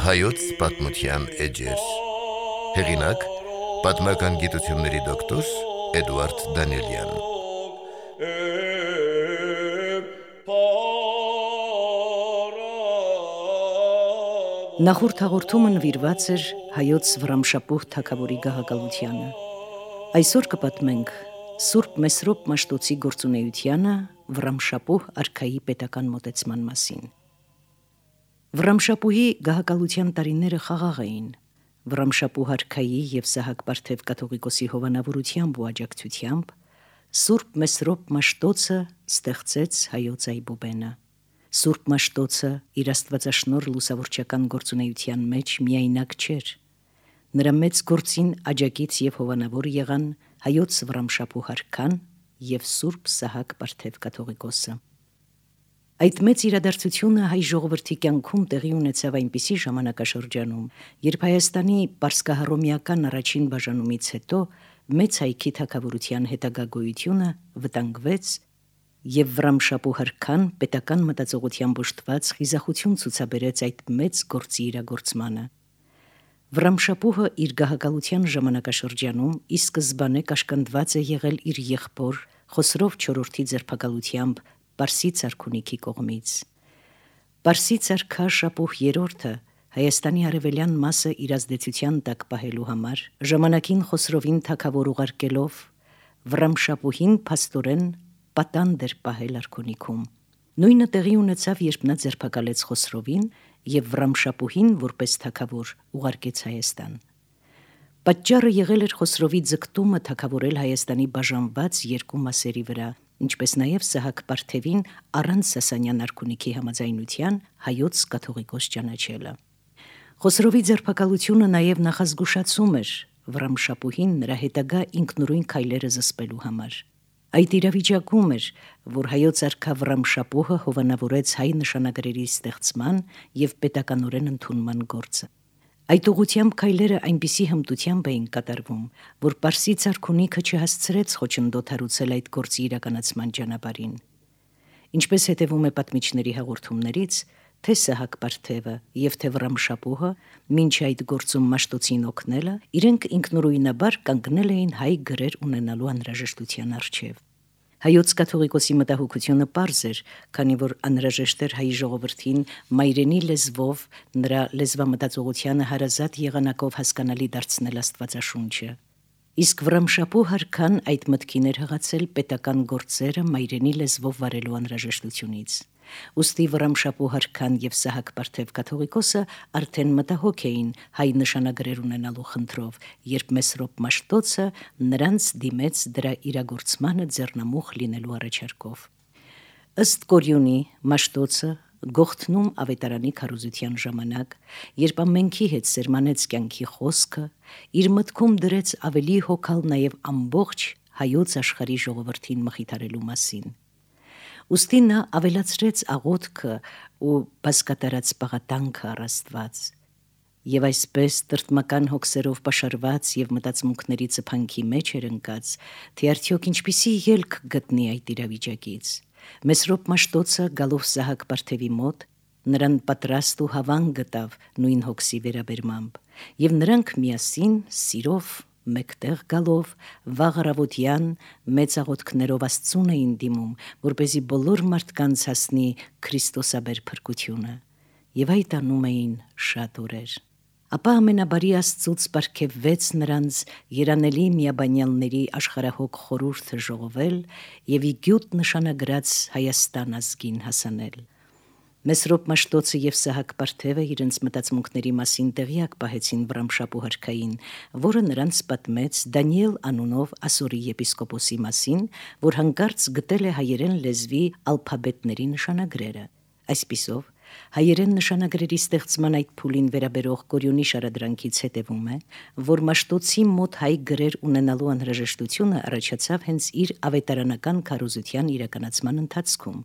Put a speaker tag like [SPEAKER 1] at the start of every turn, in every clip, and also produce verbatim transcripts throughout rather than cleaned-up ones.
[SPEAKER 1] Հայոց պատմության էջեր։ Հեղինակ՝ պատմական գիտությունների դոկտոր Էդուարդ Դանիելյան։
[SPEAKER 2] Նախորդ հաղորդումը նվիրված էր հայոց Վռամշապուհ թագավորի գահակալությանը։ Այսօր կպատմենք Սուրբ Մեսրոպ Մաշտոցի գործունեությանը Վռամշապուհ արքայի պետական մոտեցման մասին։ Վռամշապուհի գահակալության տարիները խաղաղ էին։ Վռամշապուհ արքայի և Սահակ Պարթև կաթողիկոսի հովանավորությամբ ու աջակցությամբ Սուրբ Մեսրոպ Մաշտոցը ստեղծեց հայոց այբուբենը։ Սուրբ Մաշտոցը իր աստվածաշնորհ լուսավորչական գործունեության մեջ միայնակ չէր։ Նրա մեծ գործին աջակից և հովանավոր եղան հայոց Վռամշապուհ արքան և Սուրբ Սահակ Պարթև կաթողիկոսը։ Այդ մեծ իրադարձությունը հայ ժողովրդի կյանքում տեղի ունեցավ այնպիսի ժամանակաշրջանում, երբ Հայաստանի պարսկահռոմեական առաջին բաժանումից հետո մեծ հայքի թագավորության հետագա գոյությունը վտանգվեց և Վռամշապուհ արքան պետական մտածողությամբ օժտված խիզախություն ցուցաբերեց այդ մեծ գործի իրագործմանը։ Վռամշապուհը իր գահակալության ժամանակաշրջանում ի սկզբանե կաշկանդված է եղել իր եղբոր Խոսրով չորրորդի ձերբակալությամբ Պարսից արքունիքի կողմից։ Պարսից արքա Շապուհ երրորդը Հայաստանի արևելյան մասը իր ազդեցության տակ պահելու համար ժամանակին Խոսրովին թագավոր ուղարկելով Վռամշապուհին փաստորեն պատանդ էր պահել արքունիքում։ Նույնը տեղի ունեցավ, երբ նա ձերբակալեց Խոսրովին և Վռամշապուհին որպես թագավոր ուղարկեց Հայաստան։ Պատճառը եղել էր Խոսրովի ձգտումը թագավորել Հայաստանի բաժանված երկու մասերի վրա, ինչպես նաև Սահակ Պարթևին առանց Սասանյան արքունիքի համաձայնության հայոց կաթողիկոս ճանաչելը։ Խոսրովի ձերբակալությունը նաև նախազգուշացում էր Վռամշապուհին նրա հետագա ինքնուրույն քայլերը զսպելու համար։ Այդ իրավիճակում էր, որ հայոց արքա Վռամշապուհը հովանավորեց հայ նշանագրերի ստեղծման և պետականորեն ընդունման գործը։ Այդ ուղղությամբ քայլերը այնպիսի հմտությամբ էին կատարվում, որ Պարսից արքունիքը չհասցրեց խոչընդոտ հարուցել այդ գործի իրականացման ճանապարհին։ Ինչպես հետևում է պատմիչների հաղորդումներից, թե Սահակ Պարթևը և թե Վռամշապուհը մինչ այդ գործում Մաշտոցին օգնելը, իրենք ինքնուրույնաբար կանգնել էին հայ գրեր ունենալու անհրաժեշտության առջև։ Հայոց կաթողիկոսի մտահոգությունը պարզ էր, քանի որ անհրաժեշտ էր հայ ժողովրդին մայրենի լեզվով նրա լեզվամտածողությանը հարազատ եղանակով հասկանալի դարձնել Աստվածաշունչը։ Իսկ Վռամշապուհ արքան այդ մտքին էր հղացել պետական գործերը մայրենի լեզվով վարելու անհրաժեշտությունից։ Ուստի Վռամշապուհ արքան և Սահակ Պարթև կաթողիկոսը արդեն մտահոգ էին հայ նշանագրեր ունենալու խնդրով, երբ Մեսրոպ Մաշտոցը նրանց դիմեց դրա իրագործմանը ձեռնամուխ լինելու առաջարկով։ Ըստ Կորյունի Մաշտոցը Գողթնում ավետարանի քարոզության ժամանակ, երբ ամենքի հետ սերմանեց կյանքի խոսքը, իր մտքում դրեց ավելի հոգալ նաև ամբողջ հայոց աշխարհի ժողովրդին մխիթարելու մասին։ Ուստի նա ավելացրեց աղոթքը ու բազկատարած պաղատանքը առ Աստված։ Եվ այսպես տրտմական հոգսերով պաշարված և մտածմունքների ծփանքի մեջ էր ընկած, թե արդյոք ինչպիսի ելք գտնի այդ իրավիճակից։ Մեսրոպ Մաշտոցը գալով Սահակ Պարթևի մոտ նրան պատրաստ ու հավան գտավ նույն հոգսի վերաբերմամբ, և նրանք միասին սիրով մեկտեղ գալով վաղ առավոտյան մեծ աղոթքներով Աստծուն էին դիմում, որպեսզի բոլոր մարդկանց հասնի Քրիստոսաբեր փրկությունը, և այդ անում էին շատ օրեր։ Ապա ամենաբարի Աստծուց պարգևվեց նրանց երանելի միաբանյալների աշխարհահոգ խորհուրդը ժողովել և ի գյուտ նշանագրած Հայաստան ազգին հասանել։ Մեսրոպ Մաշտոցը և Սահակ Պարթևը իրենց մտածմունքների մասին տեղյակ պահեցին Վռամշապուհ արքային, որը նրանց պատմեց Դանիել անունով ասորի եպիսկոպոսի մասին, որ հանկարծ գտել է հայերեն լեզվի ալփաբետների նշանագրերը։ Այսպիսով, հայերեն նշանագրերի ստեղծման այդ փուլին վերաբերող Կորյունի շարադրանքից հետևում է, որ Մաշտոցի մոտ հայ գրեր ունենալու անհրաժեշտությունը առաջացավ հենց իր ավետարանական քարոզության իրականացման ընթացքում։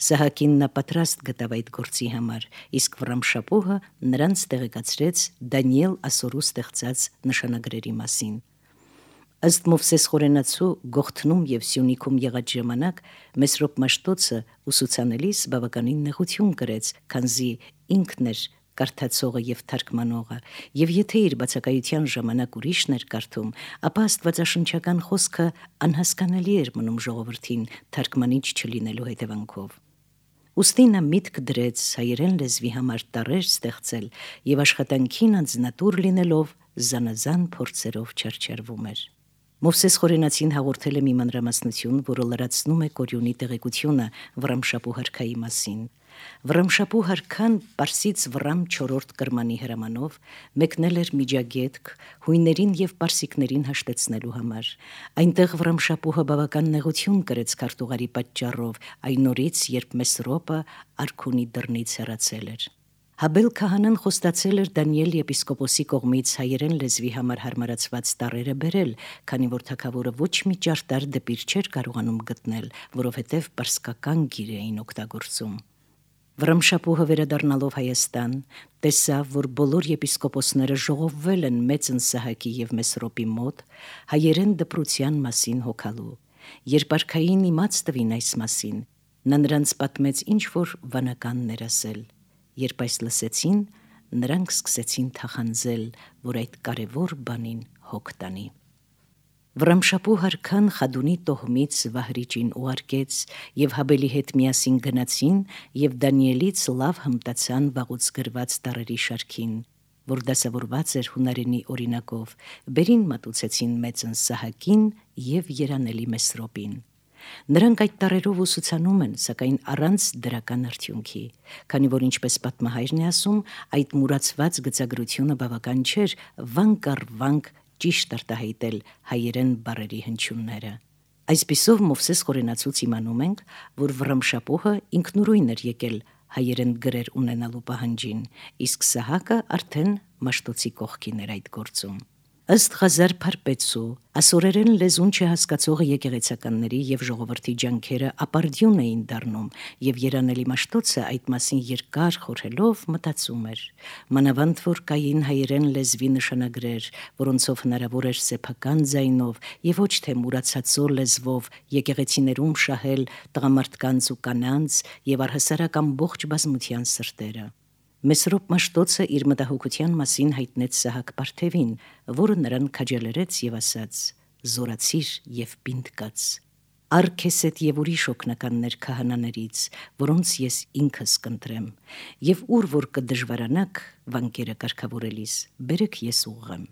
[SPEAKER 2] Սահակին նա պատրաստ գտավ այդ գործի համար, իսկ Վռամշապուհը նրանց տեղեկացրեց Դանիել ասորու ստեղծած նշանագրերի մասին։ Ըստ Մովսես Խորենացու Գողթնում և Սյունիքում եղած ժամանակ Մեսրոպ Մաշտոցը ուսուցանելիս բավականին նեղություն կրեց, քանզի ինքն էր կարդացողը եւ թարգմանողը, եւ եթե իր բացակայության ժամանակ ուրիշն էր կարդում, ապա աստվածաշնչական խոսքը անհասկանալի էր մնում ժողովրդին թարգմանիչ չլինելու հետևանքով։ Ուստի նա միտք դրեց հայերեն լեզվի համար տառեր ստեղծել եւ աշխատանքին անձնատուր լինելով զանազան փորձերով չարչարվում էր։ Մովսես Խորենացին հաղորդել է մի մանրամասնություն, որը լրացնում է Կորյունի տեղեկությունը Վռամշապուհ արքայի մասին։ Վռամշապուհ արքան Պարսից Վռամ չորրորդ կրմանի հրամանով մեկնել էր Միջագետք հույներին եւ պարսիկներին հաշտեցնելու համար։ Այնտեղ Վռամշապուհը բավական նեղություն կրեց քարտուղարի պատճառով այն օրից, երբ Մեսրոպը արքունի դռնից հեռացել էր։ Հաբել քահանան խոստացել էր Դանիել եպիսկոպոսի կողմից հայերեն լեզվի համար հարմարացված տառերը բերել, քանի որ թագավորը ոչ մի ճարտար դպիր չէր կարողանում գտնել, որովհետև պարսկական գիր էին օգտագործում։ Վռամշապուհը վերադառնալով Հայաստան, տեսավ, որ բոլոր եպիսկոպոսները ժողովվել են մեծ Ընսահակի եւ Մեսրոպի մոտ հայերեն դպրության մասին հոգալու։ Երբ արքային իմաց տվին այս մասին, նա նրանց պատմեց ինչ որ վանականներ ասել։ Երբ այս լսեցին, նրանք սկսեցին թախանձել, որ այդ կարևոր բանին հոգ տանի։ Վռամշապուհ արքան Խադունի տոհմից Վահրիճին ուղարկեց եւ Հաբելի հետ միասին գնացին եւ Դանիելից լավ հմտացան վաղուց գրված տառերի շարքին, որ դասավորված էր հունարենի օրինակով, բերին մատուցեցին մեծ Ընսահակին եւ երանելի Մեսրոպին։ Նրանք այդ տառերով ուսուցանում են, սակայն առանց դրական արդյունքի, քանի որ ինչպես պատմահայրն է ասում, այդ մուրացված գծագրությունը բավական չէր վանք առ վանք ճիշտ արտահայտել հայերեն բառերի հնչյունները։ Այսպիսով Մովսես Խորենացուց իմանում ենք, որ Վռամշապուհը ինքնուրույն էր եկել հայերեն գրեր ունենալու պահանջին, իսկ Սահակը արդեն Մաշտոցի կողքին էր այդ գործում։ Ըստ Ղազար Փարպեցու, ասորերեն լեզուն չհասկացողը եկեղեցականների եւ ժողովրդի ջանքերը ապարդյուն էին դառնում, եւ երանելի Մաշտոցը այդ մասին երկար խորհելով մտածում էր։ Մանավանդ որ կային հայերեն լեզվի նշանագրեր, որոնցով հնարավոր էր սեփական ձայնով եւ ոչ թե մուրացածո լեզվով եկեղեցիներում շահել տղամարդկանց ու կանանց եւ առհասարակ ամբողջ բազմության սրտերը։ Մեսրոպ Մաշտոցը իր մտահոգության մասին հայտնեց Սահակ Պարթևին, որը նրան քաջալերեց եւ ասաց. «Զորացիր եւ պինդ կաց։ Առ քեզ հետ եւ ուրիշ օգնականներ քահանաներից, որոնց ես ինքս կընտրեմ, եւ ուր որ կդժվարանաք վանկերը կարգավորելիս, բերեք ես ուղղեմ»։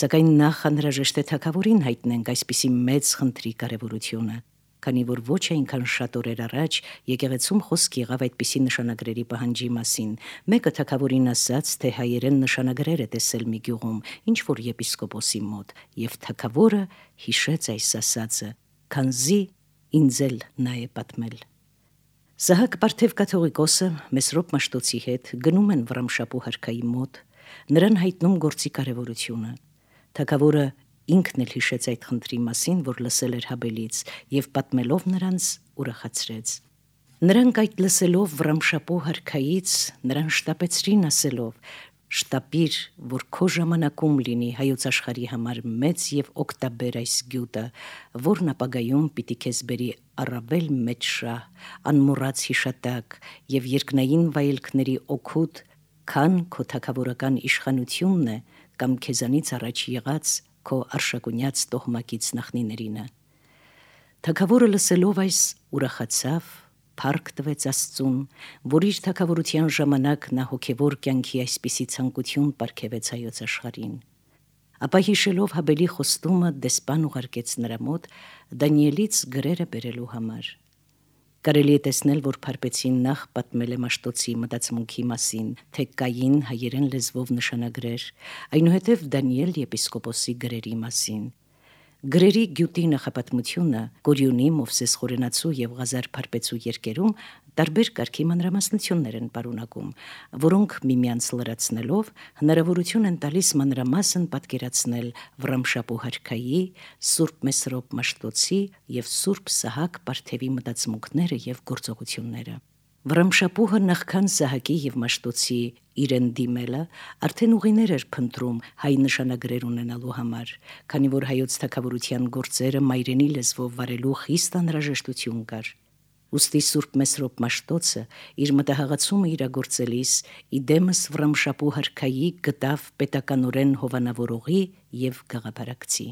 [SPEAKER 2] Սակայն նախ անհրաժեշտ է թագավորին հայտնենք այսպիսի մեծ խնդրի կարևորությունը, քանի որ ոչ այնքան շատ օրեր առաջ եկեղեցում խոսք եղավ այդպիսի նշանագրերի պահանջի մասին։ Մեկը թագավորին ասաց, թե հայերեն նշանագրեր է տեսել մի գյուղում, ինչ որ եպիսկոպոսի մոտ, եւ թագավորը հիշեց այս ասածը, քանզի ինձ էլ նա է պատմել։ Սահակ Պարթև կաթողիկոսը Մեսրոպ Մաշտոցի հետ գնում են Վռամշապուհ արքայի մոտ, նրան հայտնում գործի կարևորությունը։ Թագավորը ինքն էլ հիշեց այդ խնդրի մասին, որ լսել էր Հաբելից, եւ պատմելով նրանց ուրախացրեց։ Նրանք այդ լսելով Վռամշապուհ արքայից նրան շտապեցրին ասելով. «Շտապիր, որ քո ժամանակում լինի հայոց աշխարհի համար մեծ եւ օգտաբեր այս գյուտը, որն ապագայում պիտի քեզ բերի առավել մեծ շահ, անմոռաց հիշատակ եւ երկնային վայելքների օգուտ, քան քո թագավորական իշխանությունն է կամ քեզանից առաջ եղած քո արշակունյաց տոհմակից նախնիներինը»։ Թագավորը լսելով այս ուրախացավ, փառք տվեց Աստծուն, որ իր թագավորության ժամանակ նա հոգևոր կյանքի այսպիսի ցանկություն պարգևեց հայոց աշխարհին։ Ապա հիշելով Հաբելի խոստումը դեսպան ուղարկեց նրա մոտ Դանիելից գրերը բերելու համար։ Կարելի է տեսնել, որ Փարպեցին նախ պատմել է Մաշտոցի մտածմունքի մասին, թե կային հայերեն լեզվով նշանագրեր, այնուհետև Դանիել եպիսկոպոսի գրերի մասին։ Գրերի գյուտի նախապատմությունը Կորյունի, Մովսես Խորենացու եւ Ղազար Փարպեցու երկերում տարբեր կարգի մանրամասնություններ են պարունակում, որոնք միմյանց լրացնելով հնարավորություն են տալիս մանրամասն պատկերացնել Վռամշապուհ արքայի, Սուրբ Մեսրոպ Մաշտոցի եւ Սուրբ Սահակ Պարթևի մտածմունքները եւ գործողությունները։ Վռամշապուհը նախքան Սահակի եւ Մաշտոցի իրեն դիմելը արդեն ուղիներ էր փնտրում հայ նշանագրեր ունենալու համար, քանի որ հայոց թագավորության գործերը մայրենի լեզվով վարելու խիստ անհրաժեշտություն կար։ Ուստի Սուրբ Մեսրոպ Մաշտոցը իր մտահղացումը իրագործելիս իդեմս Վռամշապուհ արքայի գտավ պետականորեն հովանավորողի եւ գաղափարակցի։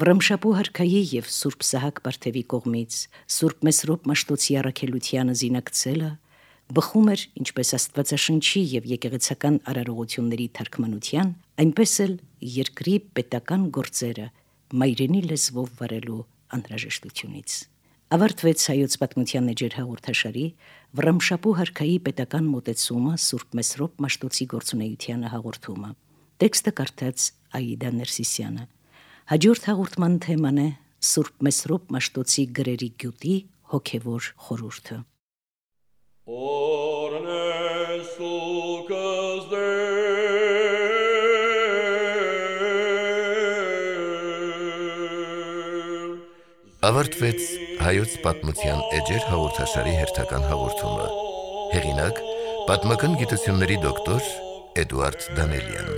[SPEAKER 2] Վռամշապուհ արքայի եւ Սուրբ Սահակ Բարթևի կողմից Սուրբ Մեսրոպ Մաշտոցի առաքելությանը զինակցելը բխում էր ինչպես Աստվածաշնչի եւ եկեղեցական արարողությունների թարգմանության, այնպես էլ երկրի պետական գործերը մայրենի լեզվով վարելու անհրաժեշտությունից։ Ավարտվեց հայոց պատմության էջեր հաղորդաշարի Վռամշապուհ արքայի պետական մոտեցումը Սուրբ Մեսրոպ Մաշտոցի գործունեությանը հաղորդումը։ Տեքստը կարդաց Աիդա Ներսիսյանը։ Հաջորդ հաղորդման թեման է Սուրբ Մեսրոպ Մաշտոցի գրերի գյուտի հոգևոր խորհուրդը։
[SPEAKER 1] Ավարտվեց հայոց պատմության էջեր հաղորդաշարի հերթական հաղորդումը։ Հեղինակ՝ պատմական գիտությունների դոկտոր Էդուարդ Դանելյան։